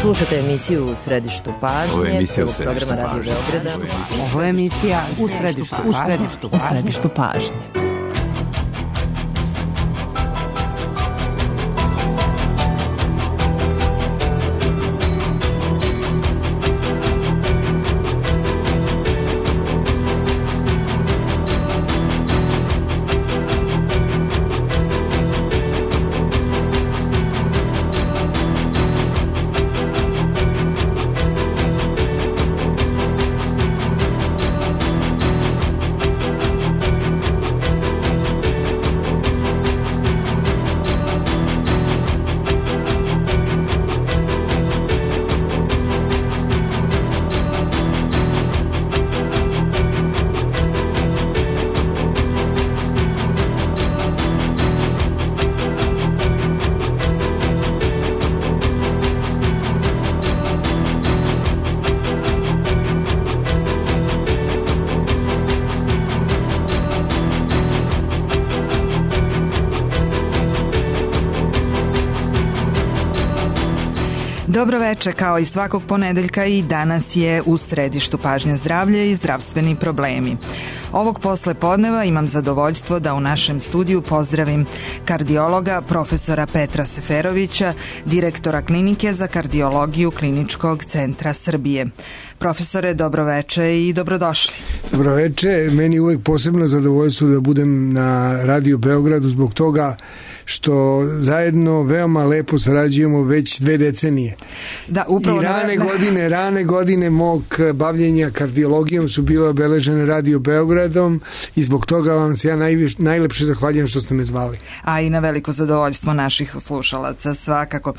Slušate emisiju U središtu pažnje. Ovo je emisija U središtu pažnje. Radio Beograda. Ovo je emisija U središtu pažnje. Dobro veče, kao i svakog ponedeljka i danas je u središtu pažnje zdravlje i zdravstveni problemi. Ovog posle podneva imam zadovoljstvo da u našem studiju pozdravim kardiologa profesora Petra Seferovića, direktora klinike za kardiologiju Kliničkog centra Srbije. Profesore, dobro veče i dobrodošli. Dobro veče, meni je uvek posebno zadovoljstvo da budem na Radio Beogradu zbog toga što zajedno veoma lepo sarađujemo već 2 decenije. Da, upravo I rane godine mog bavljenja kardiologijom su bile obeležene Radio Beogradom i zbog toga vam se ja najlepše zahvaljujem što ste me zvali. A i na veliko zadovoljstvo naših slušalaca, svakako.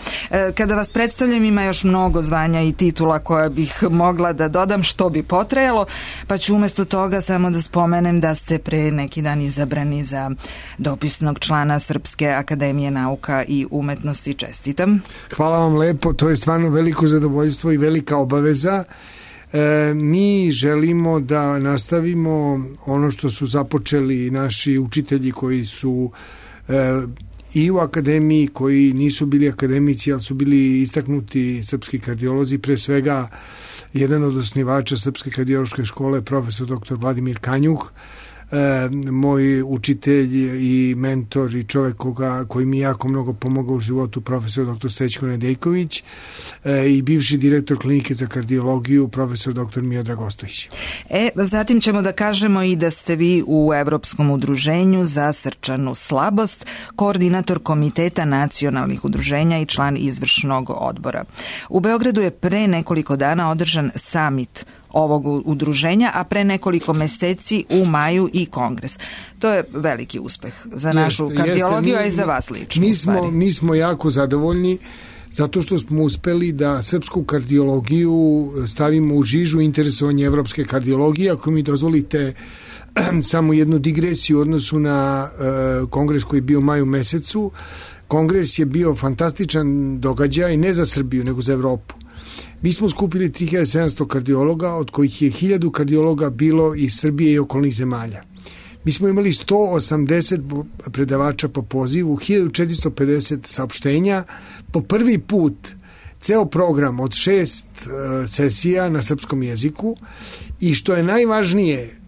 Kada vas predstavljam, ima još mnogo zvanja i titula koja bih mogla da dodam, što bi potrajalo, pa ću umjesto toga samo da spomenem da ste pre neki dan izabrani za dopisnog člana Srpske akademije nauka i umetnosti. Čestitam. Hvala vam lepo, to je stvarno veliko zadovoljstvo i velika obaveza. Mi želimo da nastavimo ono što su započeli naši učitelji koji su i u akademiji, koji nisu bili akademici, ali su bili istaknuti srpski kardiolozi, pre svega jedan od osnivača Srpske kardiološke škole, profesor dr. Vladimir Kanjuh, moj učitelj i mentor i čovek koji mi jako mnogo pomogao u životu, profesor dr. Srećko Nedejković, i bivši direktor klinike za kardiologiju, profesor dr. Miodrag Ostojić. Zatim ćemo da kažemo i da ste vi u Evropskom udruženju za srčanu slabost, koordinator Komiteta nacionalnih udruženja i član izvršnog odbora. U Beogradu je pre nekoliko dana održan samit ovog udruženja, a pre nekoliko meseci u maju i kongres. To je veliki uspeh za našu kardiologiju, a i za vas lično. Mi smo jako zadovoljni zato što smo uspeli da srpsku kardiologiju stavimo u žižu interesovanja evropske kardiologije. Ako mi dozvolite samo jednu digresiju u odnosu na kongres koji je bio u maju mesecu. Kongres je bio fantastičan događaj, ne za Srbiju, nego za Evropu. Mi smo skupili 3700 kardiologa, od kojih je 1000 kardiologa bilo iz Srbije i okolnih zemalja. Mi smo imali 180 predavača po pozivu, 1450 saopštenja, po prvi put ceo program od 6 sesija na srpskom jeziku i što je najvažnije,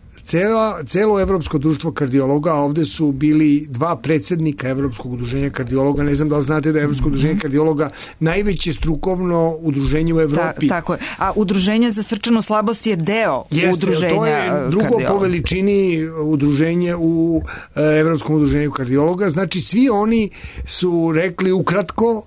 celo Evropsko društvo kardiologa, a ovde su bili 2 predsednika Evropskog udruženja kardiologa. Ne znam da li znate da je Evropsko udruženje kardiologa najveće strukovno udruženje u Evropi. Tako je. A udruženje za srčanu slabost je deo udruženja to je drugo kardiologa po veličini udruženje u Evropskom udruženju kardiologa. Znači, svi oni su rekli ukratko,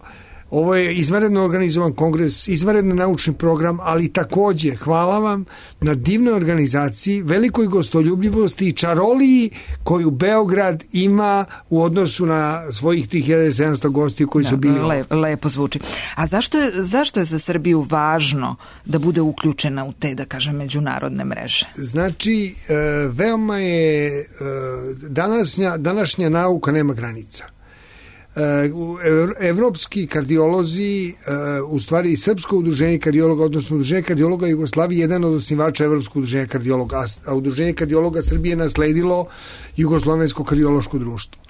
ovo je izvanredno organizovan kongres, izvanredno naučni program, ali takođe hvala vam na divnoj organizaciji, velikoj gostoljubljivosti i čaroliji koju Beograd ima u odnosu na svojih 3700 gostiju koji su bili ovdje. Lepo zvuči. A zašto je za Srbiju važno da bude uključena u te, da kažem, međunarodne mreže? Znači, veoma je današnja nauka nema granica. Evropski kardiolozi, u stvari Srpsko udruženje kardiologa, odnosno Udruženje kardiologa Jugoslavije, jedan od osnivača Evropskog udruženja kardiologa, a Udruženje kardiologa Srbije nasledilo Jugoslovensko kardiološko društvo.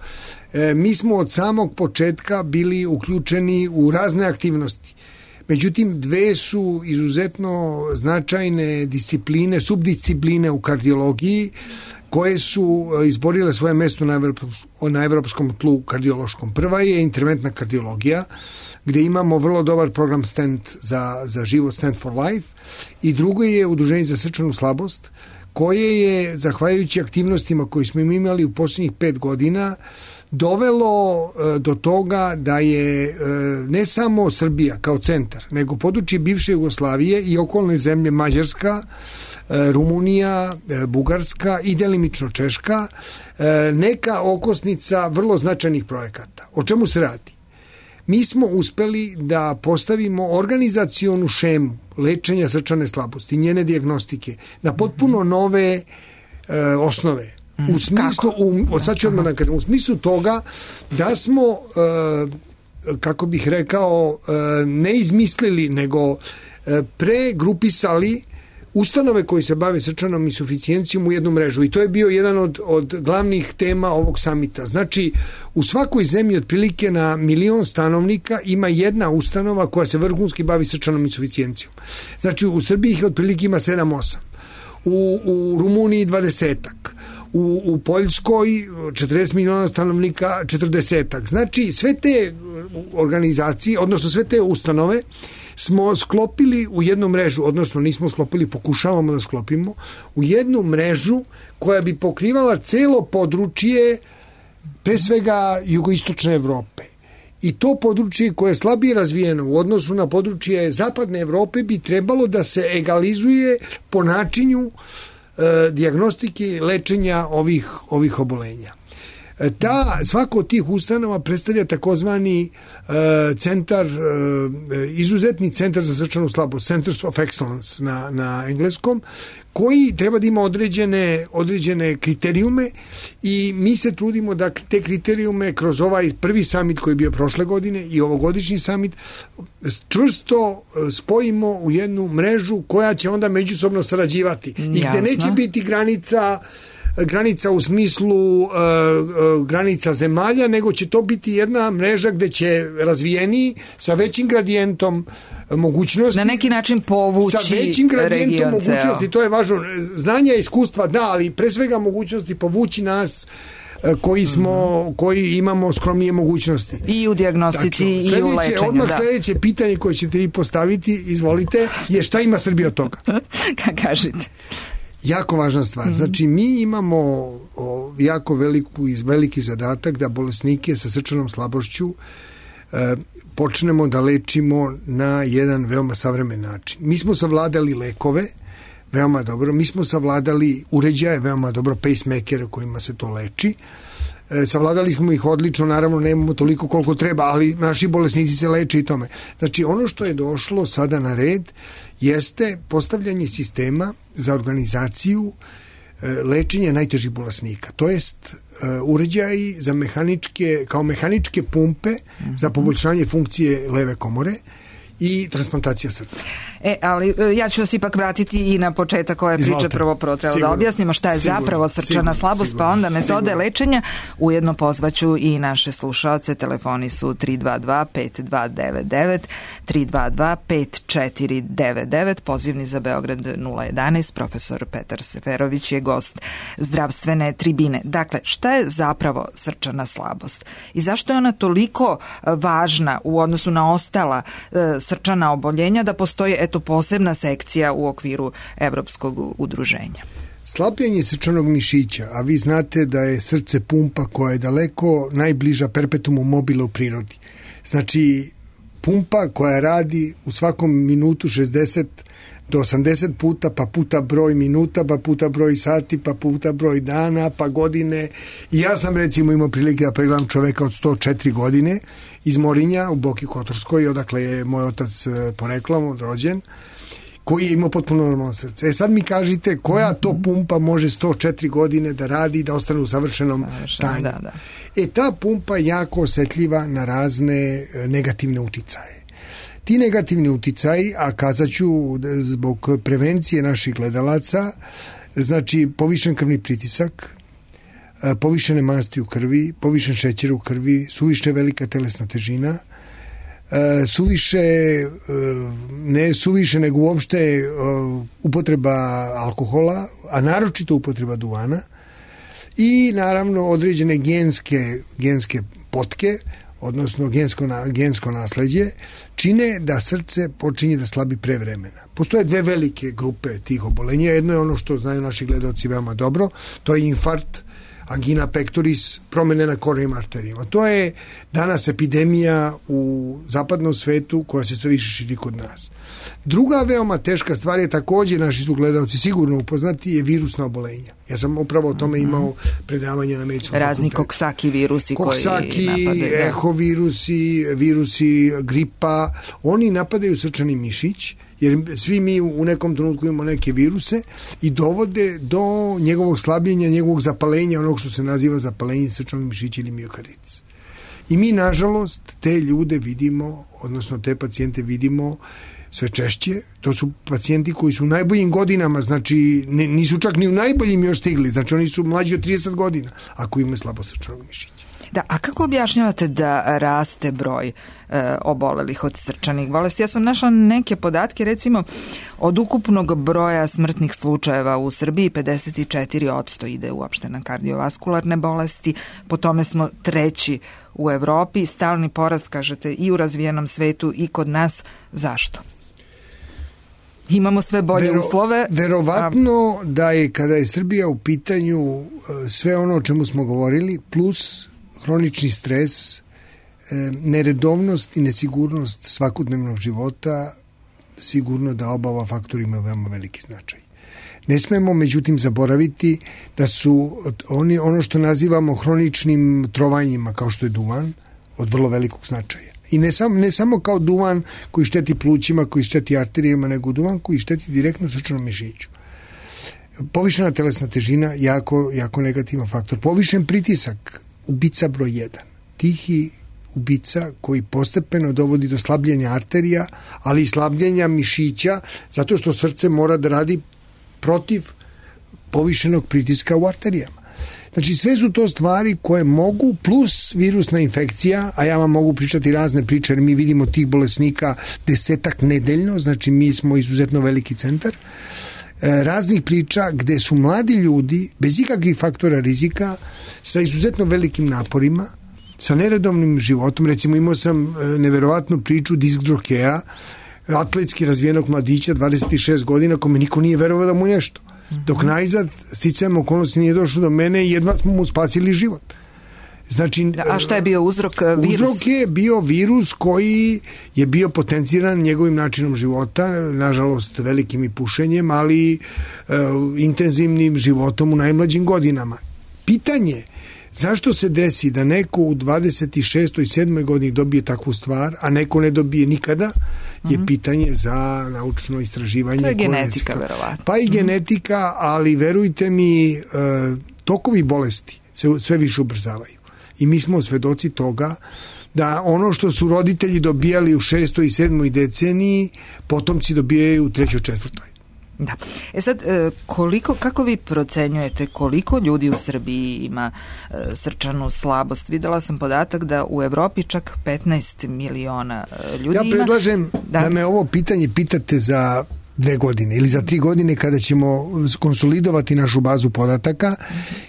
Mi smo od samog početka bili uključeni u razne aktivnosti. Međutim, dve su izuzetno značajne discipline, subdiscipline u kardiologiji koje su izborile svoje mesto na evropskom tlu kardiološkom. Prva je interventna kardiologija, gde imamo vrlo dobar program Stent za život, Stent for Life, i drugo je Udruženje za srčanu slabost, koje je, zahvaljujući aktivnostima koje smo imali u posljednjih 5 godina, dovelo do toga da je ne samo Srbija kao centar, nego područje bivše Jugoslavije i okolne zemlje Mađarska, Rumunija, Bugarska i delimično Češka neka okosnica vrlo značajnih projekata. O čemu se radi? Mi smo uspeli da postavimo organizacionu šemu lečenja srčane slabosti, njene dijagnostike na potpuno nove osnove. U smislu, sad ću odmah da kažem, u smislu toga da smo, kako bih rekao, ne izmislili, nego pregrupisali ustanove koji se bave srčanom insuficijencijom u jednu mrežu, i to je bio jedan od glavnih tema ovog samita. Znači, u svakoj zemlji otprilike na 1 milion stanovnika ima jedna ustanova koja se vrhunski bavi srčanom insuficijencijom. Znači, u Srbiji ih otprilike ima 7-8, u Rumuniji 20-ak, u Poljskoj 40 miliona stanovnika 40-ak. Znači, sve te organizacije, odnosno sve te ustanove smo sklopili u jednu mrežu, odnosno nismo sklopili, pokušavamo da sklopimo u jednu mrežu koja bi pokrivala celo područje, pre svega jugoistočne Evrope. I to područje koje je slabije razvijeno u odnosu na područje zapadne Evrope bi trebalo da se egalizuje po načinu dijagnostike i lečenja ovih obolenja. Svako od tih ustanova predstavlja takozvani centar, izuzetni centar za srčanu slabost, Centers of Excellence na engleskom, koji treba da ima određene kriterijume, i mi se trudimo da te kriterijume kroz ovaj prvi samit koji je bio prošle godine i ovogodišnji samit čvrsto spojimo u jednu mrežu koja će onda međusobno sarađivati. I gde neće biti granica u smislu granica zemalja, nego će to biti jedna mreža gde će razvijeniji sa većim gradijentom mogućnosti, na neki način povući sa većim gradijentom mogućnosti, to je važno, znanja i iskustva da, ali pre svega mogućnosti povući nas koji imamo skromnije mogućnosti. I u dijagnostici i u lečenju. Odmah sledeće pitanje koje ćete vi postaviti, izvolite, je šta ima Srbija od toga? Kažite. Jako važna stvar. Znači, mi imamo jako veliki zadatak da bolesnike sa srčanom slabošću počnemo da lečimo na jedan veoma savremen način. Mi smo savladali lekove veoma dobro, mi smo savladali uređaje veoma dobro, pacemakere kojima se to leči. Savladali smo ih odlično, naravno nemamo toliko koliko treba, ali naši bolesnici se leče i tome. Znači, ono što je došlo sada na red jeste postavljanje sistema za organizaciju lečenja najtežih bolesnika. To jest uređaji za kao mehaničke pumpe za poboljšanje funkcije leve komore i transplantacija srca. Ali ja ću vas ipak vratiti i na početak ove priče. Prvo treba da objasnimo šta je zapravo srčana slabost, pa onda metode lečenja. Ujedno pozvaću i naše slušaoce. Telefoni su 322-5299, 322-5499, pozivni za Beograd 011. Profesor Petar Seferović je gost zdravstvene tribine. Dakle, šta je zapravo srčana slabost i zašto je ona toliko važna u odnosu na ostala srčana oboljenja da postoji posebna sekcija u okviru Evropskog udruženja? Slabljenje srčanog mišića, a vi znate da je srce pumpa koja je daleko najbliža perpetumu mobile u prirodi. Znači, pumpa koja radi u svakom minutu 60 do 80 puta, pa puta broj minuta, pa puta broj sati, pa puta broj dana, pa godine. I ja sam recimo imao prilike da pregledam čoveka od 104 godine iz Morinja u Boki Kotorskoj, odakle je moj otac poreklom rođen, koji je imao potpuno normalno srce. Sad mi kažite koja to pumpa može 104 godine da radi i da ostane u savršenom stanju. Da. Ta pumpa je jako osetljiva na razne negativne uticaje. Ti negativni uticaji, a kazaću zbog prevencije naših gledalaca, znači povišen krvni pritisak, povišene masti u krvi, povišen šećer u krvi, suviše velika telesna težina, ne suviše nego uopšte upotreba alkohola, a naročito upotreba duvana i naravno određene genske potke, odnosno gensko nasleđe, čine da srce počinje da slabi pre vremena. Postoje dve velike grupe tih obolenja. Jedno je ono što znaju naši gledaoci veoma dobro, to je infarkt, angina pectoris, promene na koronarnim arterijama. To je danas epidemija u zapadnom svetu koja se sve više širi kod nas. Druga veoma teška stvar je takođe, naši su gledalci sigurno upoznati, je virusna obolenja. Ja sam upravo o tome imao predavanje na medicinskom fakultetu. Razni koksaki virusi koji napadaju. Ehovirusi, virusi gripa, oni napadaju srčani mišić, jer svi mi u nekom trenutku imamo neke viruse i dovode do njegovog slabljenja, njegovog zapalenja, onog što se naziva zapalenje srčanog mišića ili miokarditis. I mi, nažalost, te ljude vidimo, odnosno te pacijente vidimo sve češće. To su pacijenti koji su u najboljim godinama, znači nisu čak ni u najboljim još stigli, znači oni su mlađi od 30 godina, ako imaju slabo srčanog mišića. Da, a kako objašnjavate da raste broj obolelih od srčanih bolesti? Ja sam našla neke podatke, recimo od ukupnog broja smrtnih slučajeva u Srbiji 54% ide uopšte na kardiovaskularne bolesti, po tome smo treći u Evropi, stalni porast, kažete, i u razvijenom svetu i kod nas. Zašto? Imamo sve bolje uslove. Verovatno da je, kada je Srbija u pitanju, sve ono o čemu smo govorili, plus hronični stres, neredovnost i nesigurnost svakodnevnog života, sigurno da oba faktora imaju veoma veliki značaj. Ne smemo, međutim, zaboraviti da su ono što nazivamo hroničnim trovanjima, kao što je duvan, od vrlo velikog značaja. I ne samo kao duvan koji šteti plućima, koji šteti arterijama, nego duvan koji šteti direktno srčanom mišiću. Povišena telesna težina, jako negativan faktor. Povišen pritisak, ubica broj 1. Tihi ubica koji postepeno dovodi do slabljenja arterija, ali i slabljenja mišića, zato što srce mora da radi protiv povišenog pritiska u arterijama. Znači, sve su to stvari koje mogu, plus virusna infekcija, a ja vam mogu pričati razne priče, jer mi vidimo tih bolesnika 10 nedeljno, znači mi smo izuzetno veliki centar, raznih priča gde su mladi ljudi, bez ikakvih faktora rizika, sa izuzetno velikim naporima, sa neredovnim životom. Recimo, imao sam neverovatnu priču disk džokeja, atletski razvijenog mladića, 26 godina, kome niko nije verovao da mu nešto. Dok najzad, sticajem okolnosti, nije došlo do mene i jedva smo mu spasili život. Znači, a šta je bio uzrok? Virus? Uzrok je bio virus koji je bio potenciran njegovim načinom života, nažalost velikim i pušenjem, ali intenzivnim životom u najmlađim godinama. Pitanje zašto se desi da neko u 26. i 7. godini dobije takvu stvar, a neko ne dobije nikada, je pitanje za naučno istraživanje. To je genetika, verovatno. Pa i genetika, ali verujte mi, tokovi bolesti se sve više ubrzavaju. I mi smo svedoci toga da ono što su roditelji dobijali u 6. i 7. deceniji, potomci dobijaju u 3. i 4. Da. Sad, kako vi procenjujete koliko ljudi u Srbiji ima srčanu slabost? Videla sam podatak da u Evropi čak 15 miliona ljudi ima. Ja predlažem da me ovo pitanje pitate za 2 godine ili za 3 godine, kada ćemo konsolidovati našu bazu podataka,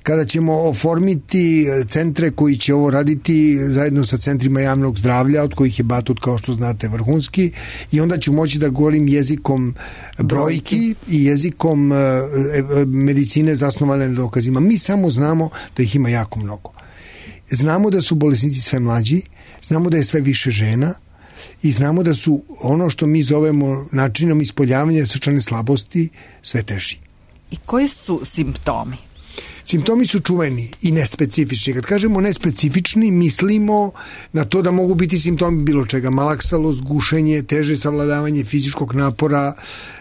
kada ćemo oformiti centre koji će ovo raditi zajedno sa centrima javnog zdravlja, od kojih je Batut, kao što znate, vrhunski, i onda ću moći da govorim jezikom brojki i jezikom medicine zasnovane na dokazima. Mi samo znamo da ih ima jako mnogo. Znamo da su bolesnici sve mlađi, znamo da je sve više žena, i znamo da su ono što mi zovemo načinom ispoljavanja srčane slabosti sve teži. I koji su simptomi? Simptomi su čuveni i nespecifični. Kad kažemo nespecifični, mislimo na to da mogu biti simptomi bilo čega. Malaksalost, gušenje, teže savladavanje fizičkog napora,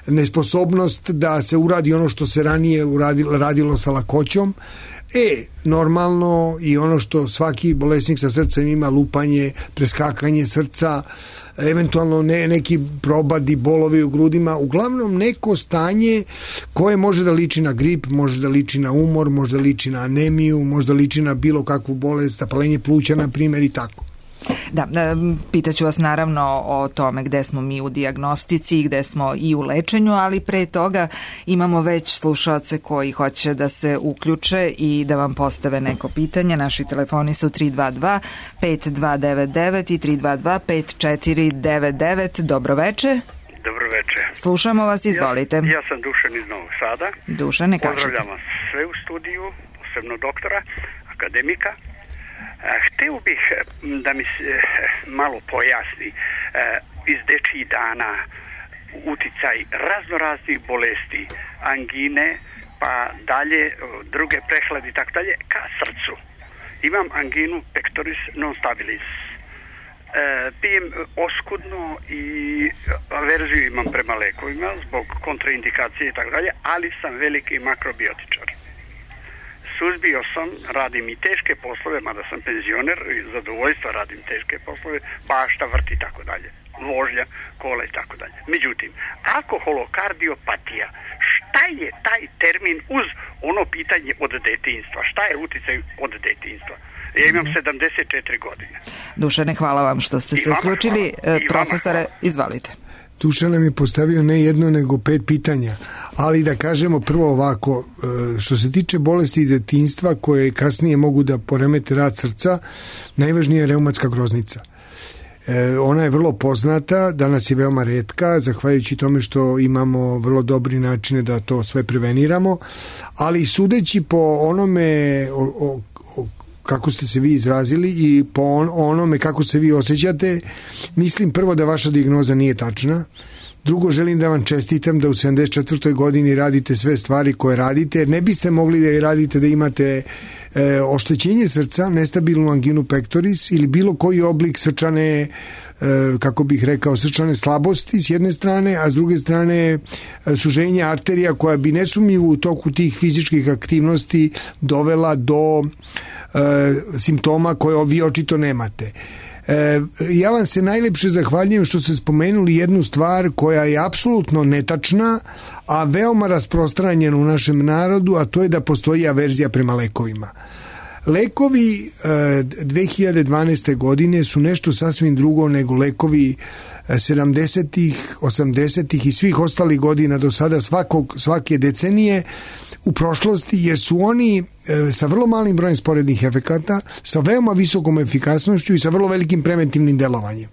nesposobnost da se uradi ono što se ranije radilo sa lakoćom. Normalno i ono što svaki bolesnik sa srcem ima, lupanje, preskakanje srca, eventualno neki probadi, bolovi u grudima, uglavnom neko stanje koje može da liči na grip, može da liči na umor, može da liči na anemiju, može da liči na bilo kakvu bolest, zapalenje pluća, na primjer, i tako. Da, pitaću vas naravno o tome gde smo mi u dijagnostici i gde smo i u lečenju, ali pre toga imamo već slušaoce koji hoće da se uključe i da vam postave neko pitanje. Naši telefoni su 322 5299 i 322 5499. Dobroveče. Dobroveče. Slušamo vas, izvolite. Ja sam Dušan iz Novog Sada. Dušane, kažete. Pozdravljam vas sve u studiju, posebno doktora, akademika. Hteo bih da mi se malo pojasni iz dečjih dana uticaj raznoraznih bolesti, angine, pa dalje druge prehlade i tako dalje, ka srcu. Imam anginu pectoris non stabilis. Pijem oskudno i averziju imam prema lekovima zbog kontraindikacije i tako dalje, ali sam veliki makrobiotičar. Suzbio sam, radim i teške poslove, mada sam penzioner, zadovoljstva radim teške poslove, bašta, vrti i tako dalje, vožnja, kola i tako dalje. Međutim, alkoholokardiopatija, šta je taj termin uz ono pitanje od detinjstva? Šta je uticaj od detinjstva? Ja imam 74 godine. Dušane, hvala vam što ste se uključili. Profesore, izvalite. Dušan nam je postavio ne jedno nego 5 pitanja, ali da kažemo prvo ovako, što se tiče bolesti detinjstva koje kasnije mogu da poremete rad srca, najvažnija je reumatska groznica. Ona je vrlo poznata, danas je veoma retka, zahvaljujući tome što imamo vrlo dobri načine da to sve preveniramo, ali sudeći po onome kako ste se vi izrazili i po onome kako se vi osjećate, mislim prvo da vaša dijagnoza nije tačna. Drugo, želim da vam čestitam da u 74. godini radite sve stvari koje radite, jer ne biste mogli da je radite da imate oštećenje srca, nestabilnu anginu pectoris ili bilo koji oblik srčane, kako bih rekao, srčane slabosti s jedne strane, a s druge strane suženje arterija koja bi nesumnjivo u toku tih fizičkih aktivnosti dovela do simptoma koje vi očito nemate. Ja vam se najlepše zahvaljujem što ste spomenuli jednu stvar koja je apsolutno netačna, a veoma rasprostranjena u našem narodu, a to je da postoji averzija prema lekovima. Lekovi 2012. godine su nešto sasvim drugo nego lekovi 70-ih, 80-ih i svih ostalih godina do sada svake decenije u prošlosti, jer su oni sa vrlo malim brojem sporednih efekata, sa veoma visokom efikasnošću i sa vrlo velikim preventivnim delovanjem.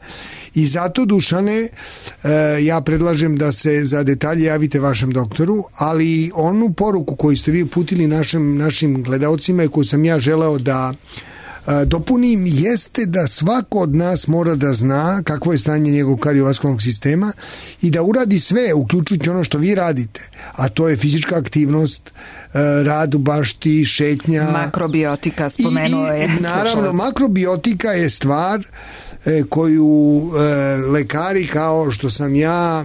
I zato, Dušane, ja predlažem da se za detalje javite vašem doktoru, ali onu poruku koju ste vi uputili našim gledaocima i koju sam ja želeo da dopunim, jeste da svako od nas mora da zna kakvo je stanje njegovog kardiovaskularnog sistema i da uradi sve, uključujući ono što vi radite, a to je fizička aktivnost, rad u bašti, šetnja. Makrobiotika, spomenuo je. Naravno, makrobiotika je stvar koju lekari kao što sam ja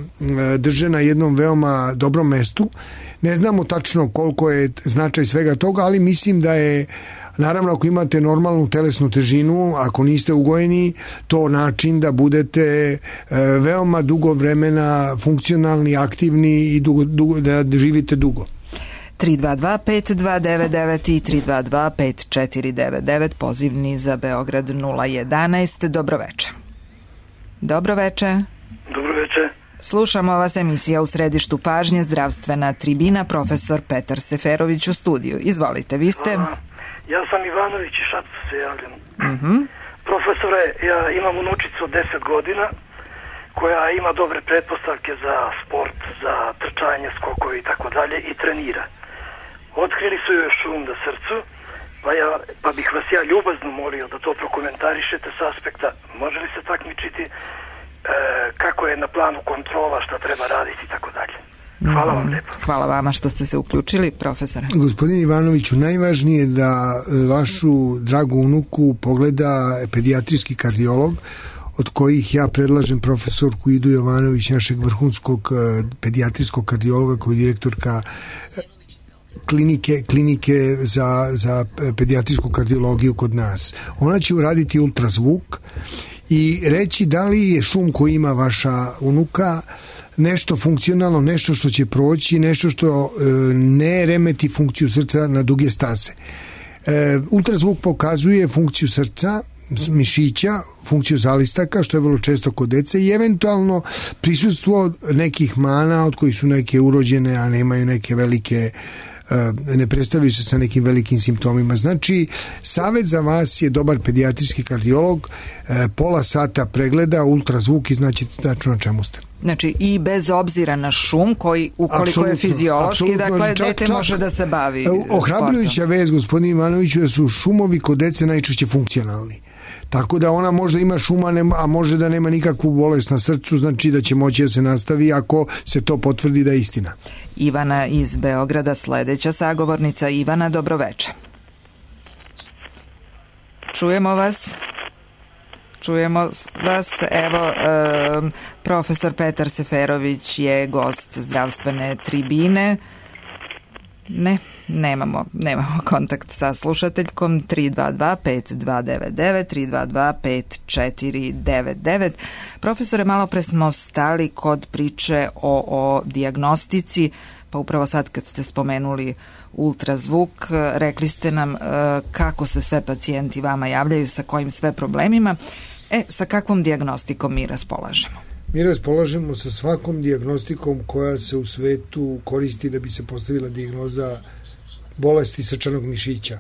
drže na jednom veoma dobrom mestu. Ne znamo tačno koliko je značaj svega toga, ali mislim da je, naravno, ako imate normalnu telesnu težinu, ako niste ugojeni, to način da budete veoma dugo vremena funkcionalni, aktivni i da živite dugo. 322-5299 i 322-5499, pozivni za Beograd 011. Dobroveče. Dobroveče. Dobroveče. Slušamo vas, emisija U središtu pažnje, zdravstvena tribina, profesor Petar Seferović u studiju. Izvolite, vi ste... Ja sam Ivanović i Šapcu se javljam. Profesore, ja imam unučicu od 10 godina koja ima dobre pretpostavke za sport, za trčanje, skokove i tako dalje i trenira. Otkrili su joj šum na srcu, pa bih vas ja ljubazno molio da to prokomentarišete s aspekta može li se takmičiti, kako je na planu kontrola, šta treba raditi i tako dalje. Hvala vam lijepo. Hvala vama što ste se uključili, profesore. Gospodin Ivanoviću, najvažnije je da vašu dragu unuku pogleda pedijatrijski kardiolog, od kojih ja predlažem profesorku Idu Jovanović, našeg vrhunskog pedijatrijskog kardiologa, koji je direktorka klinike za pedijatrijsku kardiologiju kod nas. Ona će uraditi ultrazvuk i reći da li je šum koji ima vaša unuka nešto funkcionalno, nešto što će proći, nešto što ne remeti funkciju srca na duge staze. Ultrazvuk pokazuje funkciju srca mišića, funkciju zalistaka, što je vrlo često kod dece, i eventualno prisustvo nekih mana od kojih su neke urođene, a nemaju neke velike, ne predstavljaju se sa nekim velikim simptomima. Znači, savjet za vas je dobar pedijatrijski kardiolog, pola sata pregleda, ultrazvuk i znači tačno na čemu ste. Znači i bez obzira na šum koji ukoliko je fiziološki, dakle dete može da se bavi ohrabrujuća vez, gospodin Ivanoviću, da su šumovi kod dece najčešće funkcionalni. Tako da ona možda ima šuma, a može da nema nikakvu bolest na srcu, znači da će moći da se nastavi ako se to potvrdi da je istina. Ivana iz Beograda, sledeća sagovornica. Ivana, dobroveče. Čujemo vas. Evo, profesor Petar Seferović je gost zdravstvene tribine. Nemamo kontakt sa slušateljkom. 322-5299, 322-5499. Profesore, malo pre smo stali kod priče o dijagnostici, pa upravo sad kad ste spomenuli ultrazvuk, rekli ste nam kako se sve pacijenti vama javljaju, sa kojim sve problemima. Sa kakvom dijagnostikom mi raspolažemo? Mi raspolažemo sa svakom dijagnostikom koja se u svetu koristi da bi se postavila dijagnoza bolesti srčanog mišića.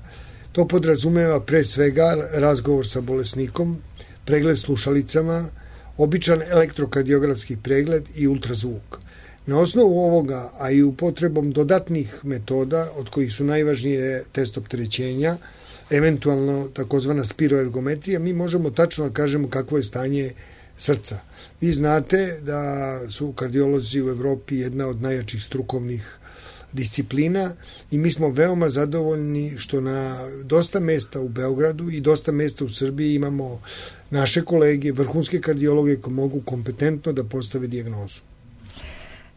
To podrazumeva pre svega razgovor sa bolesnikom, pregled slušalicama, običan elektrokardiografski pregled i ultrazvuk. Na osnovu ovoga, a i upotrebom dodatnih metoda, od kojih su najvažnije test opterećenja, eventualno takozvana spiroergometrija, mi možemo tačno da kažemo kakvo je stanje srca. Vi znate da su kardiolozi u Evropi jedna od najjačih strukovnih disciplina i mi smo veoma zadovoljni što na dosta mesta u Beogradu i dosta mesta u Srbiji imamo naše kolege, vrhunske kardiologe koji mogu kompetentno da postave dijagnozu.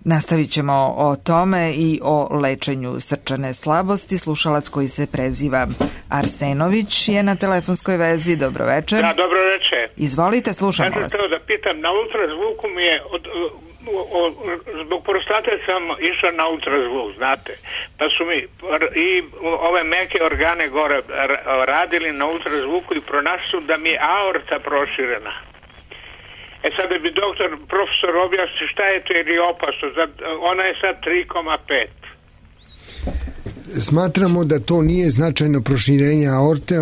Nastavit ćemo o tome i o lečenju srčane slabosti. Slušalac koji se preziva Arsenović je na telefonskoj vezi. Dobroveče. Da, dobroveče. Izvolite, slušamo vas. Ja sam da pitam, na ultrazvuku mi je zbog prostate sam išao na ultrazvuk, znate, pa su mi i ove meke organe gore radili na ultrazvuku i pronašli su da mi je aorta proširena. Sad da bi profesor objasni šta je to jer je opasno. Ona je sad 3,5. Smatramo da to nije značajno proširenje aorte.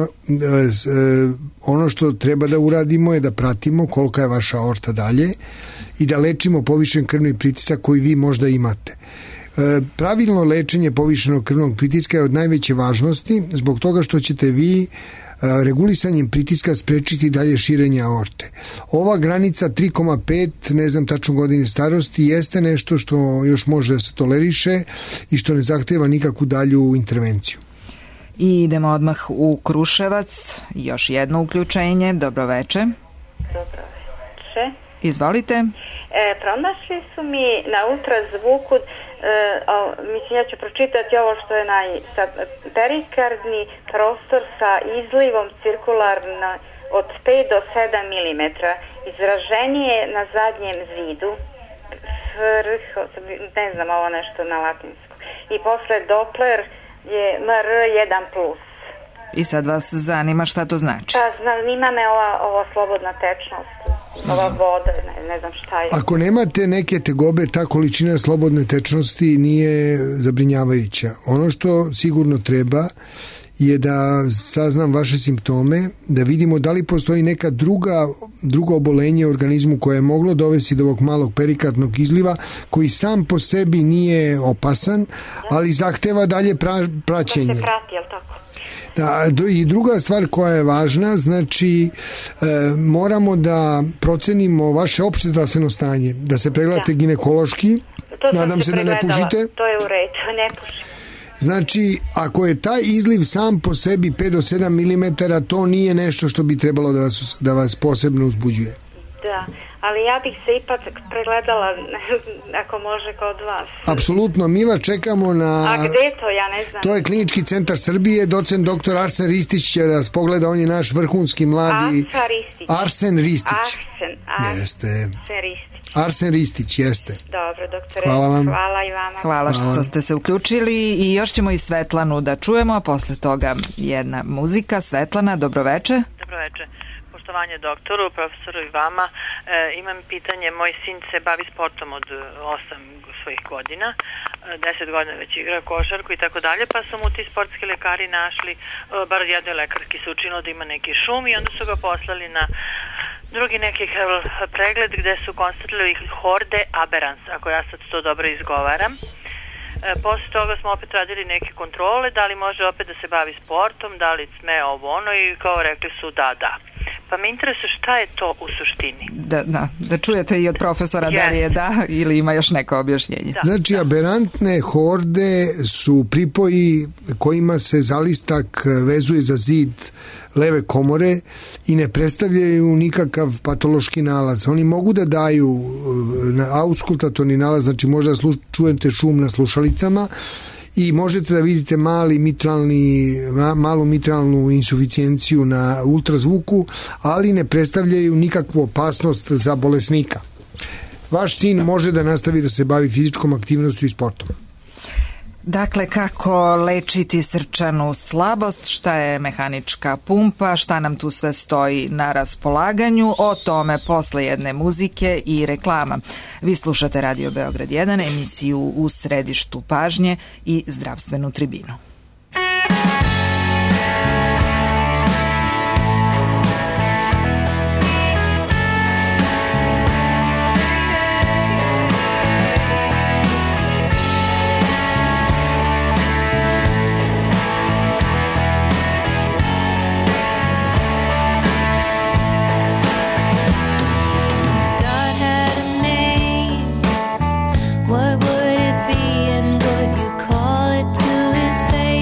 Ono što treba da uradimo je da pratimo kolika je vaša aorta dalje i da lečimo povišen krvni pritisak koji vi možda imate. Pravilno lečenje povišenog krvnog pritiska je od najveće važnosti zbog toga što ćete vi regulisanjem pritiska sprečiti dalje širenje aorte. Ova granica 3,5, ne znam tačno godine starosti, jeste nešto što još može da se toleriše i što ne zahteva nikakvu dalju intervenciju. I idemo odmah u Kruševac. Još jedno uključenje. Dobroveče. Dobroveče. Izvolite. Pronašli su mi na ultrazvuku, mislim ja ću pročitati ovo što je perikardni prostor sa izlivom cirkularno od 5 do 7 mm. Izraženije na zadnjem zidu, ne znam ovo nešto na latinsku. I posle Doppler je MR1+. I sad vas zanima šta to znači? Pa zanima me ova slobodna tečnost, ova voda, ne znam šta je. Ako nemate neke tegobe, ta količina slobodne tečnosti nije zabrinjavajuća. Ono što sigurno treba je da saznam vaše simptome, da vidimo da li postoji neka drugo obolenje u organizmu koje je moglo dovesti do ovog malog perikardnog izliva, koji sam po sebi nije opasan, ali zahteva dalje praćenje. Da se prati, jel tako? Da, i druga stvar koja je važna, znači moramo da procenimo vaše opšte zdravstveno stanje, da se pregledate ginekološki, nadam se da ne pušite. To je u redu, ne pušim. Znači, ako je taj izliv sam po sebi 5 do 7 mm, to nije nešto što bi trebalo da vas posebno uzbuđuje. Da, ali ja bih se ipak pregledala ako može kod vas. Apsolutno, mi vas čekamo na... A gde to, ja ne znam. To je Klinički centar Srbije, docent dr. Arsen Ristić će da vas pogleda, on je naš vrhunski mladi... Arsen Ristić. Jeste. Arsen Ristić, jeste. Dobro, doktore. Hvala vam. Hvala i vama. Hvala što ste se uključili i još ćemo i Svetlanu da čujemo, a posle toga jedna muzika. Svetlana, dobroveče. Dobroveče. Poštovanje doktoru, profesoru i vama. Imam pitanje, moj sin se bavi sportom od 8 svojih godina, 10 godina već igra košarku i tako dalje, pa su mu ti sportski lekari našli, bar jednoj lekarki se učinilo da ima neki šum i onda su ga poslali na drugi neki pregled gde su konstatovali horde aberans, ako ja sad to dobro izgovaram. Posle toga smo opet radili neke kontrole, da li može opet da se bavi sportom, da li sme ovo ono i kao rekli su da. Pa me interesuje šta je to u suštini. Da čujete i od profesora da li je da ili ima još neko objašnjenje. Znači, aberantne horde su pripoji kojima se zalistak vezuje za zid leve komore i ne predstavljaju nikakav patološki nalaz. Oni mogu da daju auskultatorni nalaz, znači možda čujete šum na slušalicama i možete da vidite malu mitralnu insuficijenciju na ultrazvuku, ali ne predstavljaju nikakvu opasnost za bolesnika. Vaš sin može da nastavi da se bavi fizičkom aktivnošću i sportom. Dakle, kako lečiti srčanu slabost, šta je mehanička pumpa, šta nam tu sve stoji na raspolaganju, o tome posle jedne muzike i reklama. Vi slušate Radio Beograd 1, emisiju U središtu pažnje i zdravstvenu tribinu. What would it be and would you call it to his face?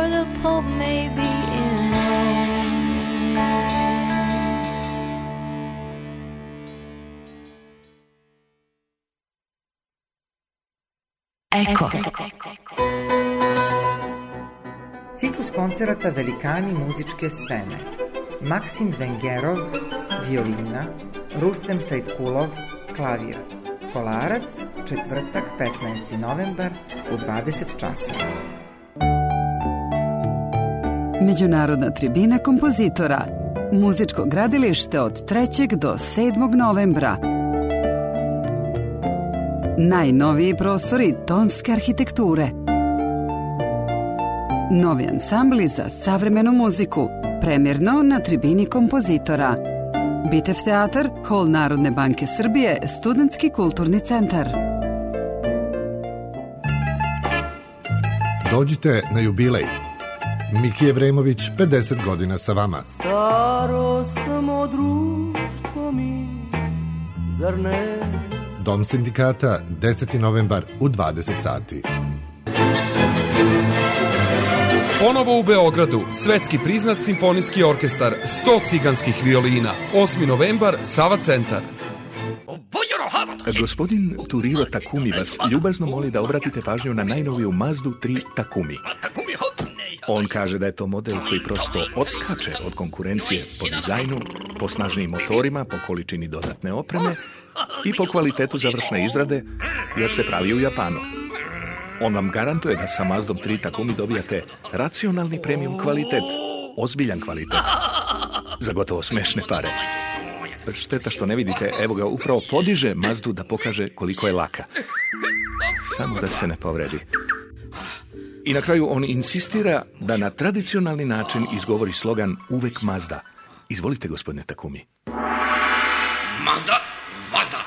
or the Pope may be in Rome. Eko. Ciklus koncerata Velikani muzičke scene. Maksim Vengerov, violina, Rustem Sajtkulov, klavir. Kolarac, četvrtak, 15. novembar u 20 časova. Međunarodna tribina kompozitora. Muzičko gradilište od 3. do 7. novembra. Najnoviji prostori tonske arhitekture. Novi ansambli za savremenu muziku. Premjerno na tribini kompozitora. Bitev teatar, Hol Narodne banke Srbije, Studentski kulturni centar. Dođite na jubilej. Miki Evremović, 50 godina sa vama. Staro samo društvo mi, zar ne? Dom sindikata, 10. novembar u 20 sati. Ponovo u Beogradu, svetski priznat simfonijski orkestar, 100 ciganskih violina, 8. novembar, Sava centar. Gospodin Turiro Takumi vas ljubazno moli da obratite pažnju na najnoviju Mazdu 3 Takumi. On kaže da je to model koji prosto odskače od konkurencije po dizajnu, po snažnim motorima, po količini dodatne opreme i po kvalitetu završne izrade, jer se pravi u Japanu. On vam garantuje da sa Mazdom 3 Takumi dobijate racionalni premium kvalitet, ozbiljan kvalitet, za gotovo smešne pare. Šteta što ne vidite, evo ga upravo podiže Mazdu da pokaže koliko je laka. Samo da se ne povredi. I na kraju on insistira da na tradicionalni način izgovori slogan uvek Mazda. Izvolite, gospodine Takumi. Mazda, Mazda.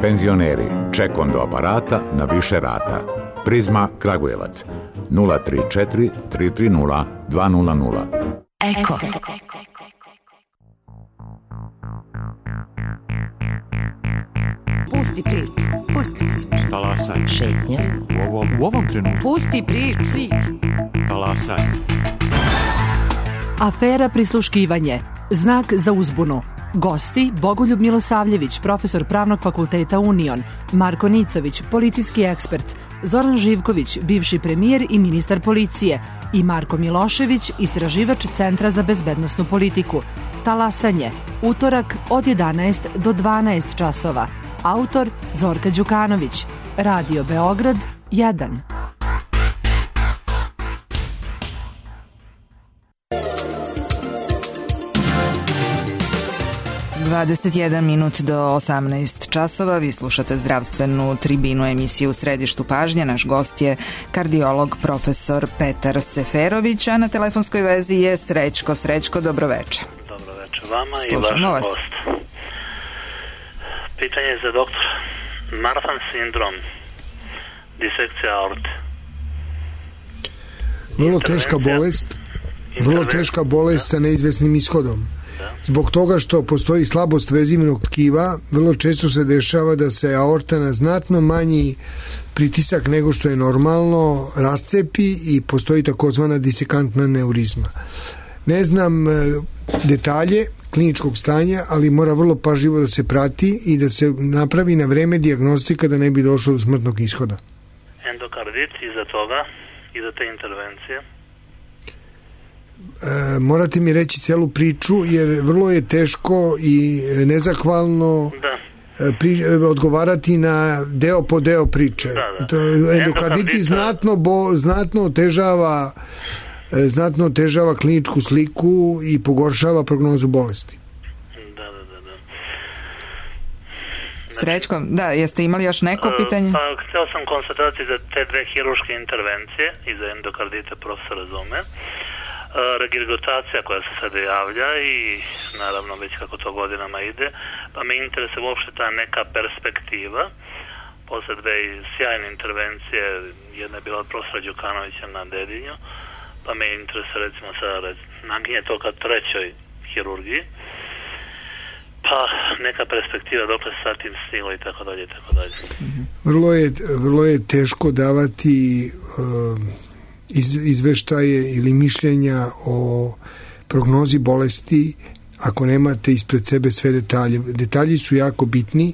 Penzioneri, ček do aparata na više rata. Prizma Kragujevac 034 330 200. Eko. Pusti priču. Pusti priču. Talasaj. Šetnja. U ovom trenutku. Pusti priču. Talasaj. Afera prisluškivanje. Znak za uzbunu. Gosti Bogoljub Milosavljević, profesor Pravnog fakulteta Union, Marko Nicović, policijski ekspert, Zoran Živković, bivši premijer i ministar policije i Marko Milošević, istraživač Centra za bezbednosnu politiku. Talasanje. Utorak od 11 do 12 časova. Autor Zorka Đukanović. Radio Beograd 1. 21 minut do 18 časova. Vi slušate zdravstvenu tribinu, emisiju U središtu pažnje. Naš gost je kardiolog profesor Petar Seferović, a na telefonskoj vezi je Srećko. Srećko, dobroveče. Dobroveče vama. Slušamo i vašem vas. gostu. Pitanje je za doktora. Marfan sindrom, disekcija aorte. Vrlo teška bolest sa neizvesnim ishodom. Zbog toga što postoji slabost vezivnog tkiva, vrlo često se dešava da se aorta na znatno manji pritisak nego što je normalno rascepi i postoji takozvana disekantna neurizma. Ne znam detalje kliničkog stanja, ali mora vrlo pažljivo da se prati i da se napravi na vreme dijagnostika da ne bi došlo do smrtnog ishoda. Endokardit iza toga, iza te intervencije? Morate mi reći celu priču, jer vrlo je teško i nezahvalno odgovarati na deo po deo priče. Endokarditi znatno otežava kliničku sliku i pogoršava prognozu bolesti. Srećko, da, jeste imali još neko pitanje? Pa, htio sam konstatati za te dve hiruške intervencije i za endokardite profesor razume. Regurgitacija koja se sada javlja i naravno već kako to godinama ide, pa me interesuje uopšte ta neka perspektiva posle dve sjajne intervencije, jedna je bila od profesora Đukanovića na Dedinju, pa me interesuje recimo sada naginje to ka trećoj hirurgiji, pa neka perspektiva dokle se sa tim stiglo i tako dalje i tako dalje. Vrlo je teško davati izveštaje ili mišljenja o prognozi bolesti ako nemate ispred sebe sve detalje. Detalji su jako bitni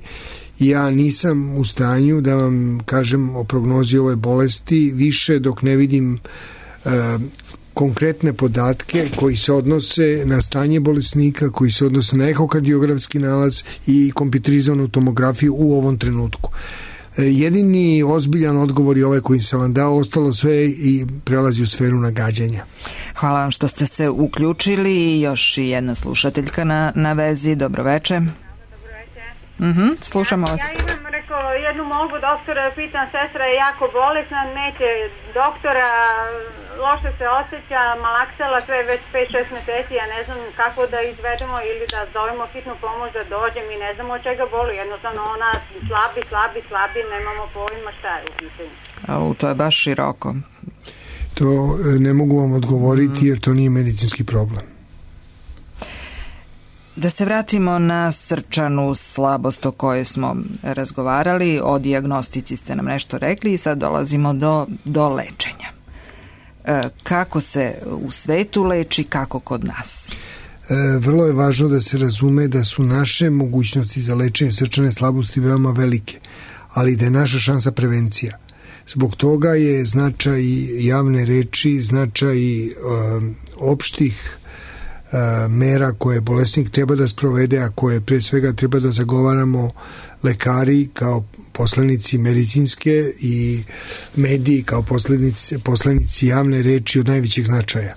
i ja nisam u stanju da vam kažem o prognozi ove bolesti više dok ne vidim konkretne podatke koji se odnose na stanje bolesnika, koji se odnose na ehokardiografski nalaz i kompjuterizovanu tomografiju u ovom trenutku. Jedini ozbiljan odgovor je ovaj koji sam vam dao, ostalo sve i prelazi u sferu nagađanja. Hvala vam što ste se uključili. Još i jedna slušateljka na vezi. Dobroveče. Slušamo vas. Ja imam, jednu molbu doktora, pitam, sestra je jako bolesna, neće doktora, loše se osjeća, malaksala sve već 5-6 meseci, ja ne znam kako da izvedemo ili da zovemo hitnu pomoć da dođe, mi ne znamo od čega boli, jednostavno ona slabi, nemamo pojma šta je u pitanju. To je baš široko. To ne mogu vam odgovoriti jer to nije medicinski problem. Da se vratimo na srčanu slabost o kojoj smo razgovarali, o dijagnostici ste nam nešto rekli i sad dolazimo do lečenja. Kako se u svetu leči, kako kod nas? Vrlo je važno da se razume da su naše mogućnosti za lečenje srčane slabosti veoma velike, ali da je naša šansa prevencija. Zbog toga je značaj javne reči, značaj opštih mera koje bolesnik treba da sprovede, a koje pre svega treba da zagovaramo lekari kao poslanici medicinske i mediji kao poslanici javne reči od najvećeg značaja.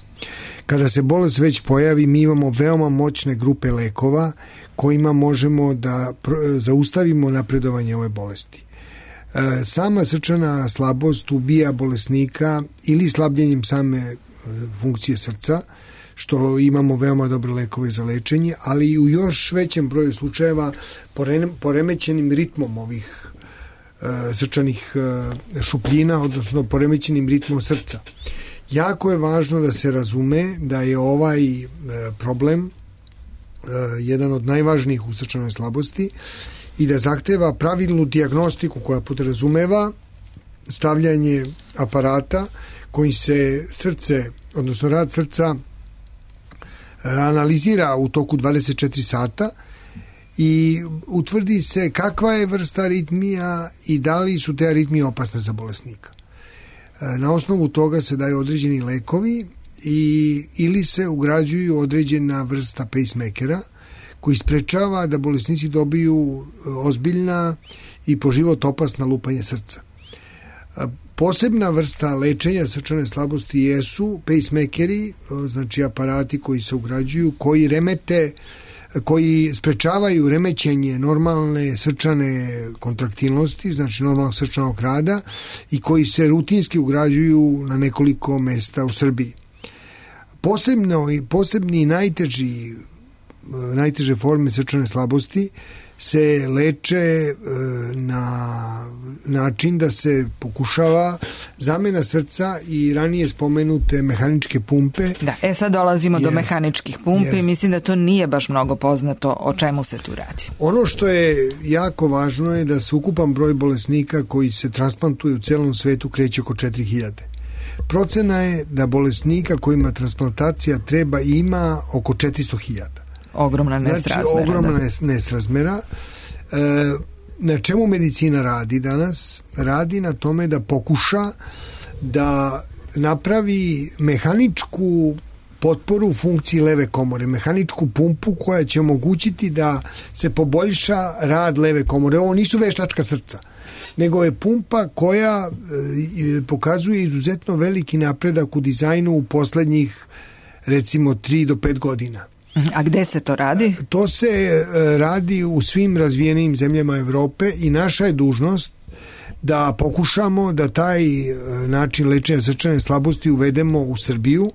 Kada se bolest već pojavi, mi imamo veoma moćne grupe lekova kojima možemo da zaustavimo napredovanje ove bolesti. Sama srčana slabost ubija bolesnika ili slabljenjem same funkcije srca, što imamo veoma dobre lekove za lečenje, ali i u još većem broju slučajeva poremećenim ritmom ovih srčanih šupljina, odnosno poremećenim ritmom srca. Jako je važno da se razume da je ovaj problem jedan od najvažnijih u srčanoj slabosti i da zahteva pravilnu dijagnostiku koja podrazumeva stavljanje aparata koji se srce, odnosno rad srca analizira u toku 24 sata i utvrdi se kakva je vrsta aritmija i da li su te aritmije opasne za bolesnika. Na osnovu toga se daju određeni lekovi ili se ugrađuju određena vrsta pacemakera koji sprečava da bolesnici dobiju ozbiljna i po život opasna lupanja srca. Posebna vrsta lečenja srčane slabosti jesu pacemakeri, znači aparati koji se ugrađuju, koji sprečavaju remećenje normalne srčane kontraktilnosti, znači normalnog srčanog rada i koji se rutinski ugrađuju na nekoliko mesta u Srbiji. Posebni i najteže forme srčane slabosti se leče na način da se pokušava zamena srca i ranije spomenute mehaničke pumpe. Da, sad dolazimo do mehaničkih pumpi. Mislim da to nije baš mnogo poznato o čemu se tu radi. Ono što je jako važno je da se ukupan broj bolesnika koji se transplantuju u celom svetu kreće oko 4000. Procena je da bolesnika kojima transplantacija treba ima oko 400.000. Ogromna nesrazmera. Znači, ogromna nesrazmera. Na čemu medicina radi danas? Radi na tome da pokuša da napravi mehaničku potporu funkciji leve komore, mehaničku pumpu koja će omogućiti da se poboljša rad leve komore. Ovo nisu veštačka srca, nego je pumpa koja pokazuje izuzetno veliki napredak u dizajnu u poslednjih recimo 3 do 5 godina. A gde se to radi? To se radi u svim razvijenim zemljama Evrope i naša je dužnost da pokušamo da taj način lečenja srčane slabosti uvedemo u Srbiju.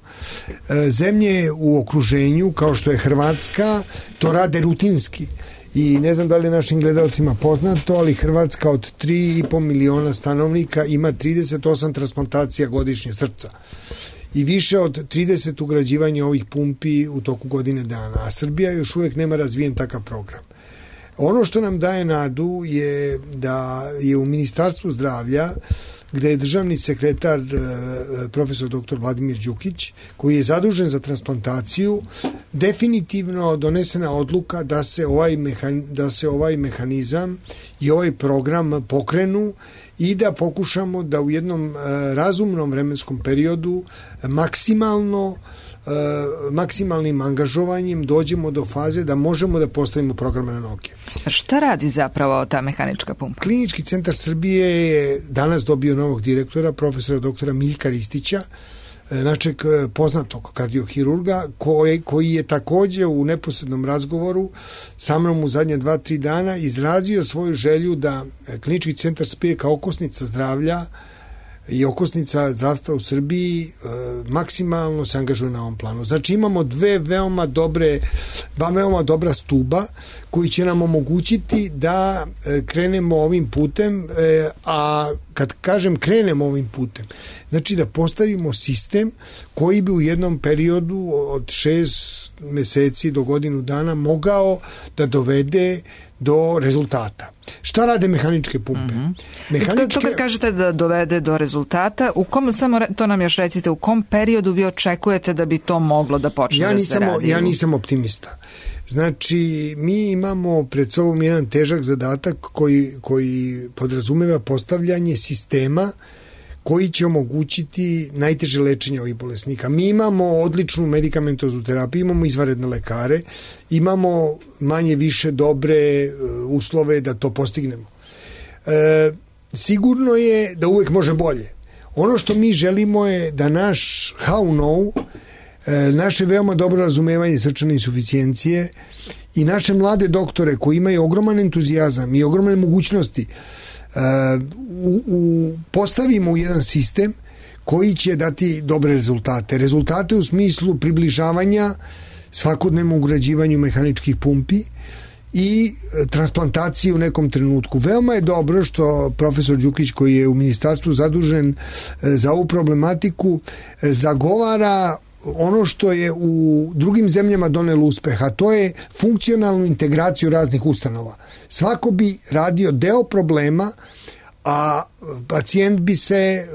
Zemlje u okruženju, kao što je Hrvatska, to rade rutinski. I ne znam da li je našim gledalcima poznato, ali Hrvatska od 3,5 miliona stanovnika ima 38 transplantacija godišnje srca i više od 30 ugrađivanja ovih pumpi u toku godine dana, a Srbija još uvijek nema razvijen takav program. Ono što nam daje nadu je da je u Ministarstvu zdravlja gde je državni sekretar profesor dr. Vladimir Đukić, koji je zadužen za transplantaciju, definitivno donesena odluka da se ovaj mehanizam i ovaj program pokrenu i da pokušamo da u jednom razumnom vremenskom periodu maksimalnim angažovanjem dođemo do faze da možemo da postavimo programe na noge. Šta radi zapravo ta mehanička pumpa? Klinički centar Srbije je danas dobio novog direktora, profesora doktora Miljka Ristića, našeg poznatog kardiohirurga, koji je takođe u neposrednom razgovoru sa mnom u zadnje 2-3 dana izrazio svoju želju da Klinički centar Srbije kao okosnica zdravlja i okosnica zdravstva u Srbiji maksimalno se angažuje na ovom planu. Znači imamo dva veoma dobra stuba koji će nam omogućiti da krenemo ovim putem, a kad kažem krenemo ovim putem, znači da postavimo sistem koji bi u jednom periodu od 6 meseci do godinu dana mogao da dovede do rezultata. Šta rade mehaničke pumpe? To kad kažete da dovede do rezultata, samo to nam još recite, u kom periodu vi očekujete da bi to moglo da počne da se radi? Ja nisam optimista. Znači, mi imamo pred sobom jedan težak zadatak koji podrazumeva postavljanje sistema koji će omogućiti najteže lečenje ovih bolesnika. Mi imamo odličnu medikamentoznu terapiju, imamo izvanredne lekare, imamo manje više dobre uslove da to postignemo. Sigurno je da uvek može bolje. Ono što mi želimo je da naš how know, naše veoma dobro razumevanje srčane insuficijencije i naše mlade doktore koji imaju ogroman entuzijazam i ogromne mogućnosti postavimo u jedan sistem koji će dati dobre rezultate. Rezultate u smislu približavanja svakodnevnom ugrađivanju mehaničkih pumpi i transplantaciji u nekom trenutku. Veoma je dobro što profesor Đukić, koji je u ministarstvu zadužen za ovu problematiku, zagovara ono što je u drugim zemljama donelo uspeh, a to je funkcionalnu integraciju raznih ustanova. Svako bi radio deo problema, a pacijent bi se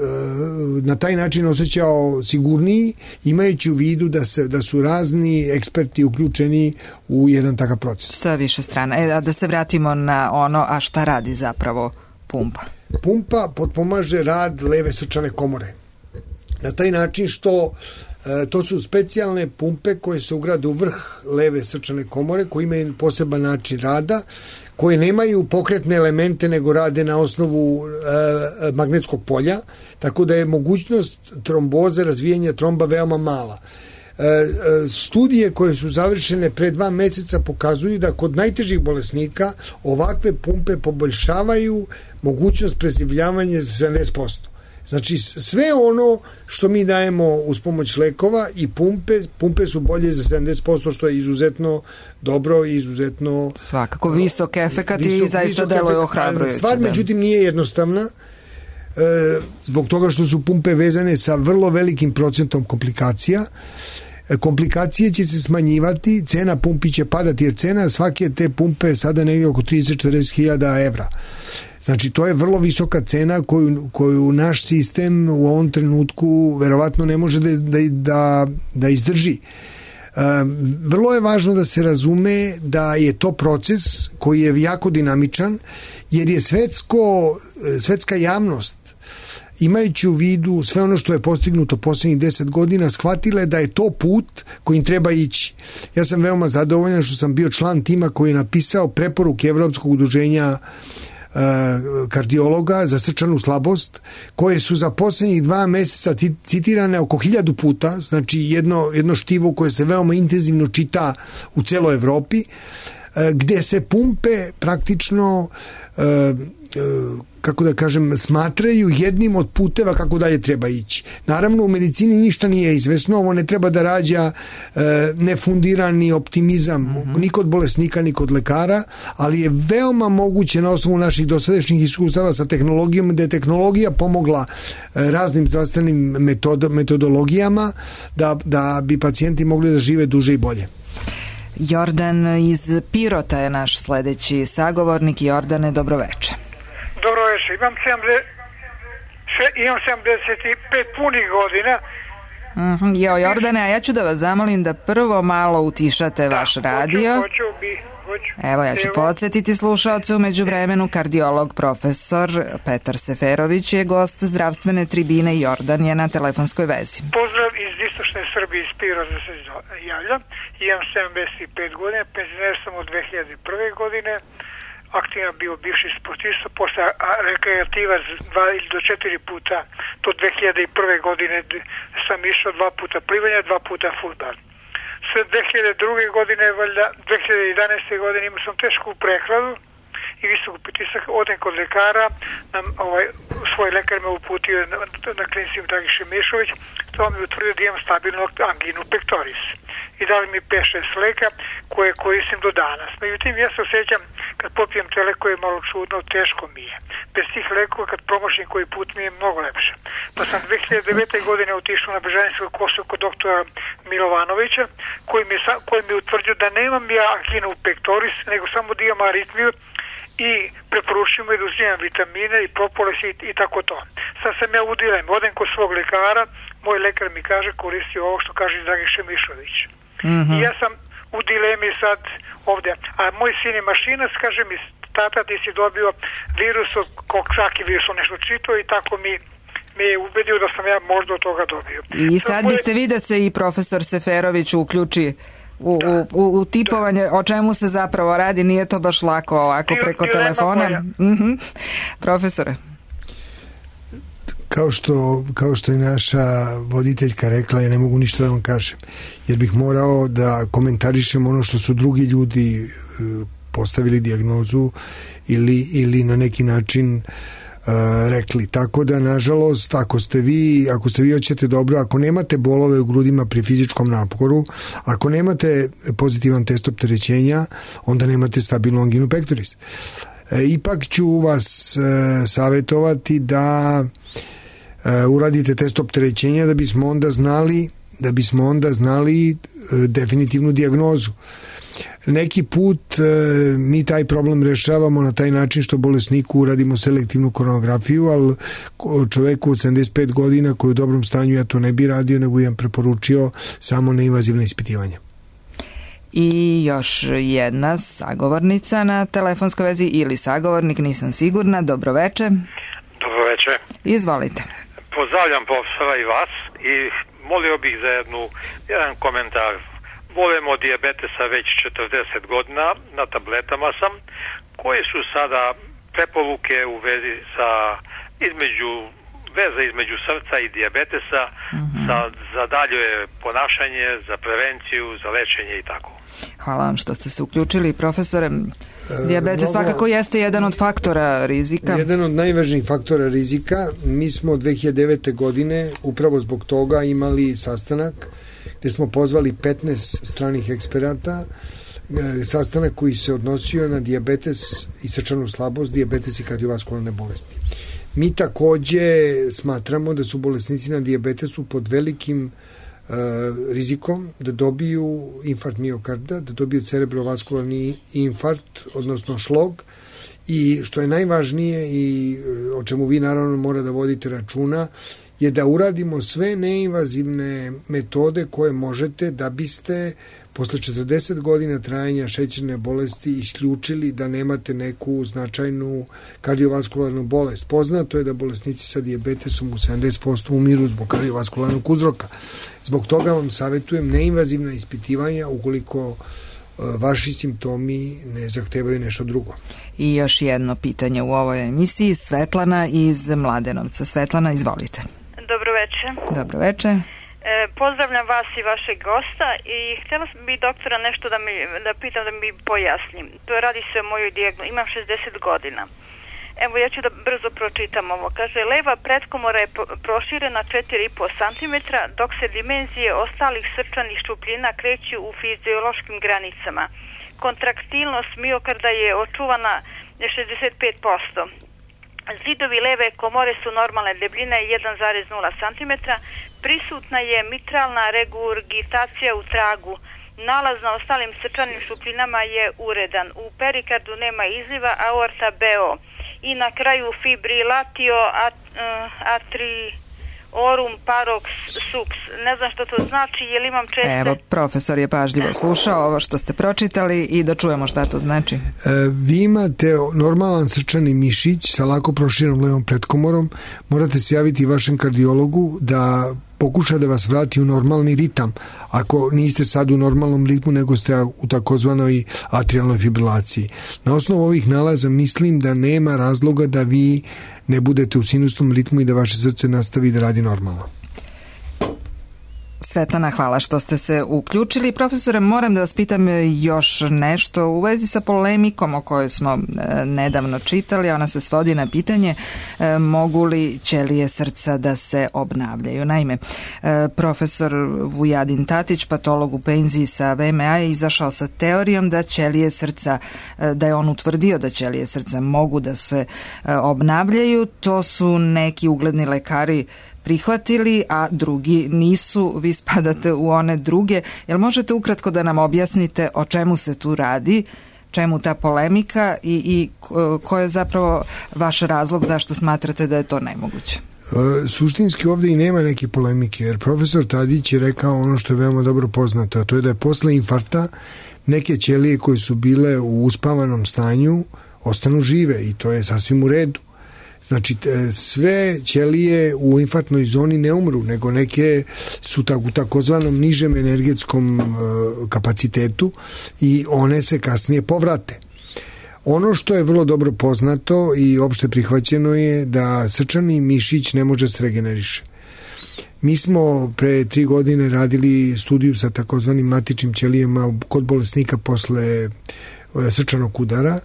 na taj način osjećao sigurniji, imajući u vidu da su razni eksperti uključeni u jedan takav proces. Sa više strana. Da se vratimo na ono, a šta radi zapravo pumpa? Pumpa potpomaže rad leve srčane komore. Na taj način što to su specijalne pumpe koje se ugrade u vrh leve srčane komore, koje imaju poseban način rada, koje nemaju pokretne elemente nego rade na osnovu magnetskog polja, tako da je mogućnost tromboze, razvijanja tromba veoma mala. Studije koje su završene pre 2 meseca pokazuju da kod najtežih bolesnika ovakve pumpe poboljšavaju mogućnost preživljavanja za 70%. Znači sve ono što mi dajemo uz pomoć lekova i pumpe su bolje za 70%, što je izuzetno dobro i izuzetno... Svakako visok efekat i zaista deluje ohrabrujuće. Stvar međutim nije jednostavna, zbog toga što su pumpe vezane sa vrlo velikim procentom komplikacija. Komplikacije će se smanjivati, cena pumpi će padati, jer cena svake te pumpe je sada negdje oko 30-40 hiljada evra. Znači, to je vrlo visoka cena koju naš sistem u ovom trenutku verovatno ne može da izdrži. Vrlo je važno da se razume da je to proces koji je jako dinamičan, jer je svetska javnost, imajući u vidu sve ono što je postignuto posljednjih 10 godina, shvatile da je to put kojim treba ići. Ja sam veoma zadovoljan što sam bio član tima koji je napisao preporuke Evropskog udruženja kardiologa za srčanu slabost, koje su za posljednjih 2 meseca citirane oko 1000 puta, znači jedno štivo koje se veoma intenzivno čita u celoj Evropi, gde se pumpe praktično kako da kažem, smatraju jednim od puteva kako dalje treba ići. Naravno, u medicini ništa nije izvesno, ovo ne treba da rađa nefundirani optimizam ni kod bolesnika, ni kod lekara, ali je veoma moguće na osnovu naših dosadašnjih iskustava sa tehnologijom, da je tehnologija pomogla raznim zdravstvenim metodologijama da bi pacijenti mogli da žive duže i bolje. Jordan iz Pirota je naš sledeći sagovornik. Jordane, dobroveče. Dobroveče, imam imam 75 punih godina. Jordane, a ja ću da vas zamolim da prvo malo utišate vaš radio. Hoću. Evo, ja ću podsjetiti slušaoce, u međuvremenu kardiolog profesor Petar Seferović je gost zdravstvene tribine i Jordan je na telefonskoj vezi. Pozdrav iz istočne Srbije, iz Piroza se javljam. Imam 75 godina, penzioner sam od 2001. godine. Aktivan bio bivši sportista, posle rekreativa 2 ili do 4 puta, do 2001. godine sam išao 2 puta plivanja, 2 puta fudbal. Sve 2002. godine, valjda 2011. godine imao sam tešku prehladu i visok pritisak, odem kod lekara, svoj lekar me uputio na klinici Dragiše Mišović, to mi utvrdio da imam stabilnu anginu pectoris i dali mi 5-6 leka koje koristim do danas. Međutim, ja se osjećam kad popijem te lekove malo čudno, teško mi je. Bez tih lekova kad promošim koji put mi je mnogo lepše. Pa sam 2009. godine otišao na Bežanjsku kosu kod doktora Milovanovića koji mi utvrdio da nemam ja anginu pectoris, nego samo da imam aritmiju i preporučujem da uzimam vitamine i propolis i tako to. Sad sam ja u dilemi, odem kod svog lekara, moj lekar mi kaže koristi ovo što kaže Dragiše Mišović. I ja sam u dilemi sad ovdje, a moj sin je mašinac, kaže mi, tata ti si dobio virus, svaki virus nešto čitao i tako mi je ubedio da sam ja možda od toga dobio. I sad biste vi da se i profesor Seferović uključi u tipovanje, o čemu se zapravo radi, nije to baš lako ovako preko telefona. Profesore. Kao što je naša voditeljka rekla, ja ne mogu ništa da vam kažem, jer bih morao da komentarišem ono što su drugi ljudi postavili dijagnozu ili na neki način rekli. Tako da, nažalost, ako ste vi hoćete dobro, ako nemate bolove u grudima pri fizičkom naporu, ako nemate pozitivan test opterećenja, onda nemate stabilnu anginu pectoris. Ipak ću vas savjetovati da uradite test opterećenja da bismo onda znali definitivnu dijagnozu. Neki put mi taj problem rešavamo na taj način što bolesniku uradimo selektivnu koronografiju, ali čoveku od 75 godina koji je u dobrom stanju, ja to ne bi radio, nego imam preporučio samo neinvazivne ispitivanja. I još jedna sagovornica na telefonskoj vezi ili sagovornik, nisam sigurna. Dobroveče. Dobroveče. Izvolite. Pozdravljam profesora i vas i molio bih za jedan komentar. Bolem od dijabetesa već 40 godina, na tabletama sam. Koje su sada preporuke u vezi veze između srca i dijabetesa za dalje ponašanje, za prevenciju, za lečenje i tako? Hvala vam što ste se uključili, profesore. Dijabetes svakako jeste jedan od faktora rizika. Jedan od najvažnijih faktora rizika. Mi smo 2009. godine upravo zbog toga imali sastanak gde smo pozvali 15 stranih eksperata, sastanak koji se odnosio na dijabetes i srčanu slabost, dijabetes i kardiovaskularne bolesti. Mi takođe smatramo da su bolesnici na dijabetesu pod velikim rizikom da dobiju infarkt miokarda, da dobiju cerebrovaskularni infarkt, odnosno šlog, i što je najvažnije i o čemu vi naravno mora da vodite računa je da uradimo sve neinvazivne metode koje možete da biste posle 40 godina trajanja šećerne bolesti isključili da nemate neku značajnu kardiovaskularnu bolest. Poznato je da bolesnici sa dijabetesom u 70% umiru zbog kardiovaskularnog uzroka. Zbog toga vam savjetujem neinvazivna ispitivanja ukoliko vaši simptomi ne zahtevaju nešto drugo. I još jedno pitanje u ovoj emisiji. Svetlana iz Mladenovca. Svetlana, izvolite. Dobroveče. Dobroveče. Pozdravljam vas i vašeg gosta i htjela bi doktora nešto da pitam, da mi pojasnim. To radi se o mojoj dijagnozi. Imam 60 godina. Evo, ja ću da brzo pročitam ovo. Kaže, leva pretkomora je proširena 4,5 cm, dok se dimenzije ostalih srčanih šupljina kreću u fiziološkim granicama. Kontraktilnost miokarda je očuvana 65%. Zidovi leve komore su normalne debljine 1,0 cm. Prisutna je mitralna regurgitacija u tragu. Nalaz na ostalim srčanim šupljinama je uredan. U perikardu nema izliva, aorta BO. i na kraju fibrilatio atriorum parox subs. Ne znam što to znači, je li imam česte... Evo, profesor je pažljivo slušao ovo što ste pročitali i da čujemo šta to znači. Vi imate normalan srčani mišić sa lako proširenom levom pretkomorom. Morate se javiti vašem kardiologu da pokuša da vas vrati u normalni ritam. Ako niste sad u normalnom ritmu, nego ste u takozvanoj atrialnoj fibrilaciji. Na osnovu ovih nalaza mislim da nema razloga da vi ne budete u sinusnom ritmu i da vaše srce nastavi da radi normalno. Svetlana, hvala što ste se uključili. Profesore, moram da vas pitam još nešto u vezi sa polemikom o kojoj smo nedavno čitali. Ona se svodi na pitanje mogu li ćelije srca da se obnavljaju. Naime, profesor Vujadin Tatić, patolog u penziji sa VMA, je izašao sa teorijom da ćelije srca, da je on utvrdio da ćelije srca mogu da se obnavljaju. To su neki ugledni lekari prihvatili, a drugi nisu. Vi spadate u one druge. Jel možete ukratko da nam objasnite o čemu se tu radi, čemu ta polemika i ko je zapravo vaš razlog zašto smatrate da je to nemoguće? Suštinski ovdje i nema neke polemike, jer profesor Tadić je rekao ono što je veoma dobro poznato, a to je da je posle infarkta neke ćelije koje su bile u uspavanom stanju ostanu žive i to je sasvim u redu. Znači, sve ćelije u infarktnoj zoni ne umru, nego neke su u takozvanom nižem energetskom kapacitetu i one se kasnije povrate. Ono što je vrlo dobro poznato i opšte prihvaćeno je da srčani mišić ne može se regeneriše. Mi smo pre 3 godine radili studiju sa takozvanim matičnim ćelijama kod bolesnika posle srčanog udara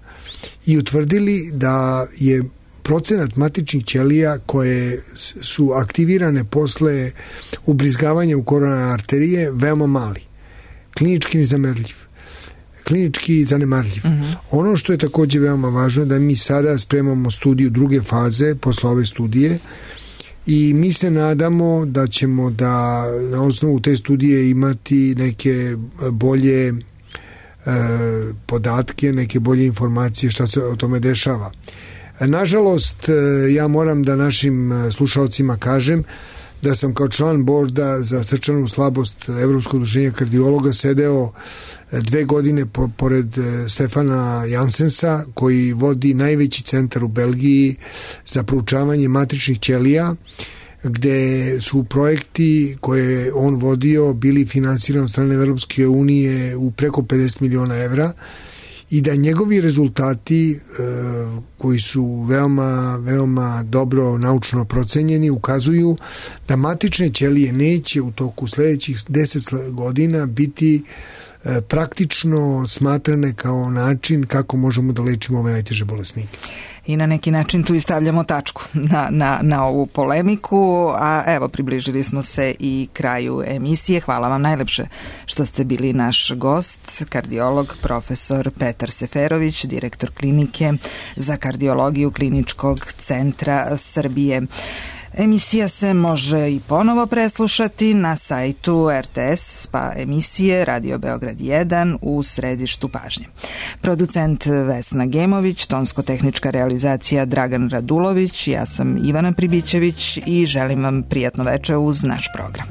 i utvrdili da je procenat matičnih ćelija koje su aktivirane posle ubrizgavanja u koronarne arterije veoma mali. Klinički zanemarljiv. Ono što je također veoma važno je da mi sada spremamo studiju druge faze posle ove studije i mi se nadamo da ćemo da na osnovu te studije imati neke bolje podatke, neke bolje informacije šta se o tome dešava. Nažalost, ja moram da našim slušalcima kažem da sam kao član borda za srčanu slabost Evropskog udruženja kardiologa sedeo 2 godine pored Stefana Jansensa, koji vodi najveći centar u Belgiji za proučavanje matričnih ćelija, gde su projekti koje on vodio bili finansirani od strane Evropske unije u preko 50 miliona evra i da njegovi rezultati koji su veoma dobro naučno procenjeni ukazuju da matične ćelije neće u toku sledećih 10 godina biti praktično smatrane kao način kako možemo da lečimo ove najteže bolesnike. I na neki način tu i stavljamo tačku na ovu polemiku, a evo približili smo se i kraju emisije. Hvala vam najlepše što ste bili naš gost, kardiolog profesor Petar Seferović, direktor klinike za kardiologiju Kliničkog centra Srbije. Emisija se može i ponovo preslušati na sajtu RTS pa emisije Radio Beograd 1 u središtu pažnje. Producent Vesna Gemović, tonsko-tehnička realizacija Dragan Radulović, ja sam Ivana Pribićević i želim vam prijatno veče uz naš program.